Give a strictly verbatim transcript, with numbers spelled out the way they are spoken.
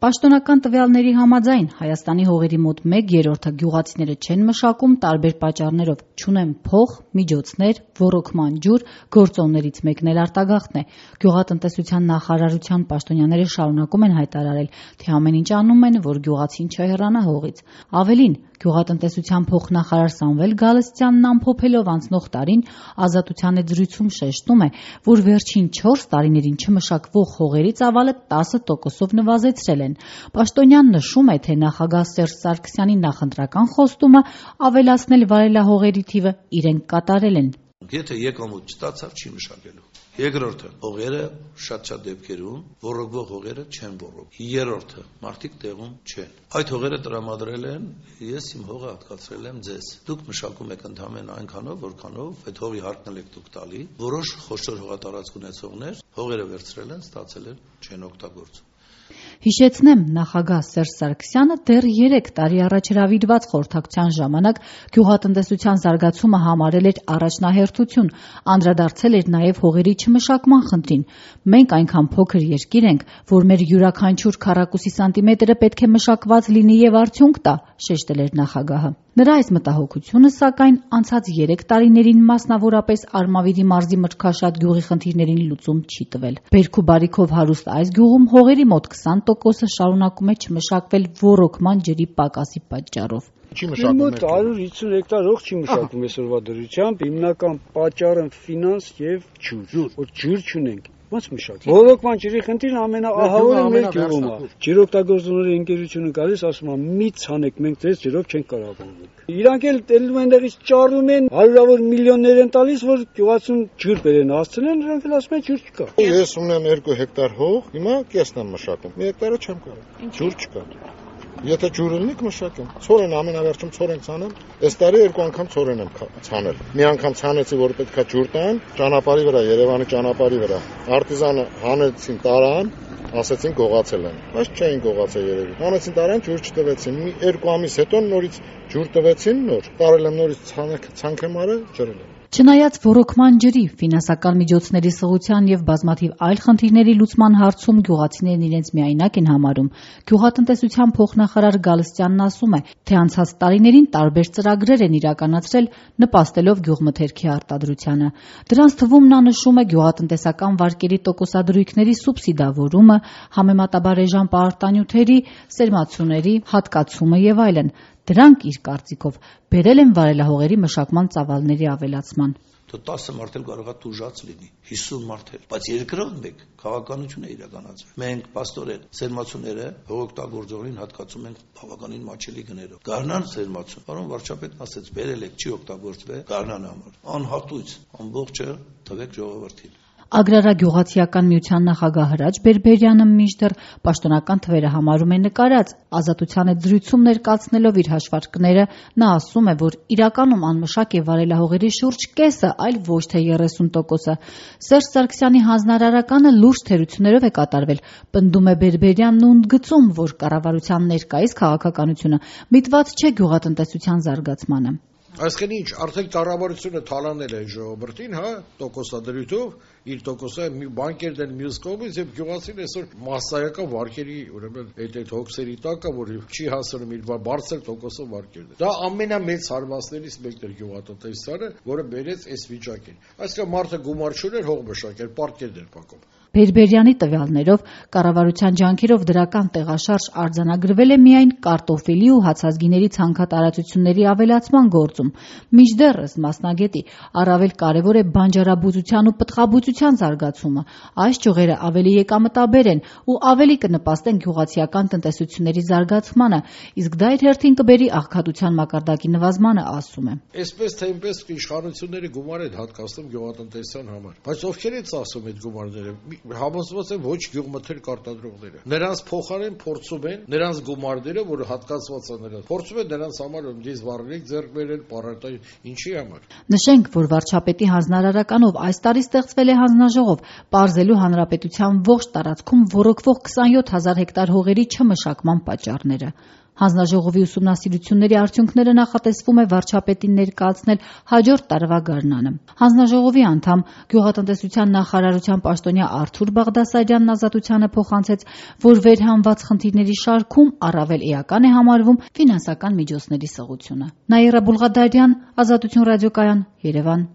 Պաշտոնական տվյալների համաձայն Հայաստանի հողերի մոտ մեկ երրորդը գյուղացիները չեն մշակում տարբեր պատճառներով, չունեն փող, միջոցներ, ոռոգման ջուր, գործոններից մեկն էլ արտագաղթն է։ Գյուղատնտեսության նախարարության պաշտոնյաները շարունակում են հայտարարել, թե ամեն ինչ անում են, որ գյուղացին չհեռանա հողից։ Ավելին, Գյուղատնտեսության փոխնախարար Սամվել Գալստյանն ամփոփելով անցնող տարին Ազատության զրույցում շեշտում է, որ վերջին չորս տարիներին չմշակվող հողերի ծավալը տասը տոկոսով նվազեցրել են։ Պաշտոնյան նշում է, թե նախագահ Սերժ Սարգսյանի նախընտրական խոստումը ավելացնել վարելահողերի թիվը իրենք կատարել են։ Եթե եկամուտ չստացավ, չի մշակելու։ Երկրորդը, հողերը շատ-շատ դեպքերում ոռոգվող հողերը չեն ոռոգ։ Երրորդը, մարդիկ տեղում չեն։ Այդ հողերը տրամադրել են, ես իմ հողը հատկացրել եմ ձեզ։ Դուք մշակում եք ընդհանրապես այնքանով, որքանով այդ հողի հարկն եք դուք տալի։ Որոշ խոշոր հողատարածք ունեցողներ հողերը վերցրել են, ստացել են, չեն օգտագործում։ Հիշեցնեմ, նախագահ Սերժ Սարգսյանը դեռ երեք տարի առաջ հրավիրված խորհրդակցության ժամանակ գյուղատնտեսության զարգացումը համարել էր առաջնահերթություն, անդրադարձել էր նաև հողերի չմշակման խնդրին։ Մենք այնքան փոքր երկիր ենք, որ մեր յուրաքանչյուր քառակուսի սանտիմետրը պետք է մշակված լինի եւ արդյունք տա, շեշտել էր նախագահը։ Նրա այս մտահոգությունը, սակայն, անցած երեք տարիներին մասնավորապես Արմավիրի մարզի Մրգաշատ գյուղի խնդիրներին լուծում չի տվել։ Բերք ու բարիքով հարուստ այս գյուղում հողերի մոտ քսան տոկոսը շարունակում է չմշակվել ոռոգման ջրի պակասի պատճառով։ Չի մշակում հարյուր հիսուն հեկտար հող չի մշակում այսօրվա դրությամբ, հիմնական պատճառը ֆինանս եւ ջուր։ Որ ջուր չունենք, ո՞նց մշակել։ Ոռոգման ջրի խնդիրն ամենաահավորը մեր գյուղում է։ Ջրօգտագործողների ընկերությունը գալիս ասում է՝ մի ցանեք, մենք ձեզ ջրով չենք կարող ոռոգել։ Իրանք էլ ելնում են դեղից ճարում են, հարյուրավոր միլիոններ են տալիս, որ գյուղացուն ջուր բերեն հասցնեն, նրանք էլ ասում են ջուր չկա։ Ես ունեմ երկու հեկտար հող, հիմա կեսն եմ մշակում։ Մի հեկտարը չեմ կարող։ Ջուր չկա։ Եթե ջուրը լինի կմշակեմ։ Ցորեն ամենավերջում ցորեն ցանեմ։ Այս տարի երկու անգամ ցորեն եմ ցանել։ Մի անգամ ցանեցի, որ պետքա ջուր տան, ճանապարհի վրա, Երևանի ճանապարհի վրա։ Արտիզանը հանեցին տարան, ասեցին գողացել են։ Բայց չէին գողացել երևի։ Հանեցին տարան, ջուր չտվեցին։ Մի երկու ամիս հետո նորից ջուր տվեցին նոր։ Տարել եմ նորից ցանք եմ արել, ջրել եմ։ Չնայած ոռոգման ջրի, ֆինանսական միջոցների սղության եւ բազմաթիվ այլ խնդիրների լուծման հարցում գյուղացիներն իրենց միայնակ են համարում, գյուղատնտեսության փոխնախարար Գալստյանն ասում է, թե անցած տարիներին տարբեր ծրագրեր են իրականացրել, նպաստելով գյուղմթերքի արտադրությանը։ Դրանց թվում նա նշում է գյուղատնտեսական վարկերի տոկոսադրույքների սուբսիդավորումը, համեմատաբար էժան պարտանյութերի, սերմացուների հատկացումը եւ այլն։ Դրանք, իր կարծիքով, բերել են վարելահողերի մշակման ծավալների ավելացման։ տասը մարդ էլ կարող է տուժած լինի, հիսուն մարդ էլ, բայց երկրորդ մեկ քաղաքականություն է իրականացվել։ Մենք պաստորեն սերմացուները հողօգտագործողին հատկացում ենք բավականին մաչելի գներով։ Գարնան սերմացուն, պարոն վարչապետն ասեց, բերել եք, չի օգտագործվել գարնան համար։ Անհատույց, ամբողջը տվեք ժողովրդին։ Ագրարագյուղացիական միության նախագահ Հրաչ Բերբերյանը մինչդեռ պաշտոնական թվերը համարում է նկարած, Ազատության զրույցում ներկայացնելով իր հաշվարկները, նա ասում է, որ իրականում անմշակ է վարելահողերի շուրջ կեսը, այլ ոչ թե երեսուն տոկոսը։ Սերժ Սարգսյանի հանձնարարականը լուրջ թերություններով է կատարվել, պնդում է Բերբերյանն ու ընդգծում, որ կառավարության ներկայիս քաղաքականությունը միտված չէ գյուղատնտեսության զարգացմանը։ Այսինքն ինչ, արդեն կառավարությունը թալանել է ժողովրդին, հա, տոկոսադրույթով, իր տոկոսը մի բանկերն են մյուս կողմից եւ գյուղացին այսօր մասսայական վարկերի, ուրեմն այդ այդ հոգսերի տակը, որ չի հասնում իր բարձր տոկոսով վարկերն։ Դա ամենամեծ հարվածներից մեկն էր գյուղատնտեսությանը, որը բերեց այս վիճակին։ Այսինքն մարդը գումար չուներ, հող մշակել, պարկերն էր փակում։ Բերբերյանի տվյալներով կառավարության ջանքերով դրական տեղաշարժ արձանագրվել է միայն կարտոֆիլի ու հացազգիների ցանքատարածությունների ավելացման գործում։ Մինչդեռս մասնագետի առավել կարևոր է բանջարաբուծության ու պտղաբուծության զարգացումը։ Այս ճյուղերը ավելի եկամտաբեր են ու ավելի կնպաստեն գյուղացիական տնտեսությունների զարգացմանը, իսկ դա իր հերթին կբերի աղքատության մակարդակի նվազմանը, ասում է։ Այսպես թե այնպես իշխանությունները գումար են հատկացնում գյուղատնտեսության համար, բայց ովքեր են ծախսում այդ գումարները։ Համոզված են ոչ գյուղմթերք արտադրողները։ Նրանց փոխարեն փորձում են նրանց գումարները, որը հատկացված է նրանց, փորձում են նրանց համար դիզ վառելիք ձեռք բերել, պարարտային, ինչի համար։ Նշենք, որ վարչապետի հանձնարարականով այս տարի ստեղծվել է հանձնաժողով, պարզելու հանրապետության ողջ տարածքում ոռոգվող քսանյոթ հազար հեկտար հողերի չմշակման պատճառները։ Հանձնաժողովի ուսումնասիրությունների արդյունքները նախատեսվում է վարչապետին ներկայացնել հաջորդ տարվա գարնանը։ Հանձնաժողովի անդամ գյուղատնտեսության նախարարության պաշտոնյա Արթուր Բաղդասարյանն Ազատությանը փոխանցեց, որ վերհանված խնդիրների շարքում առավել էական է համարվում ֆինանսական միջոցների սղությունը։ Նաիրա Բուլղադարյան, Ազատություն ռադիոկայան, Երևան։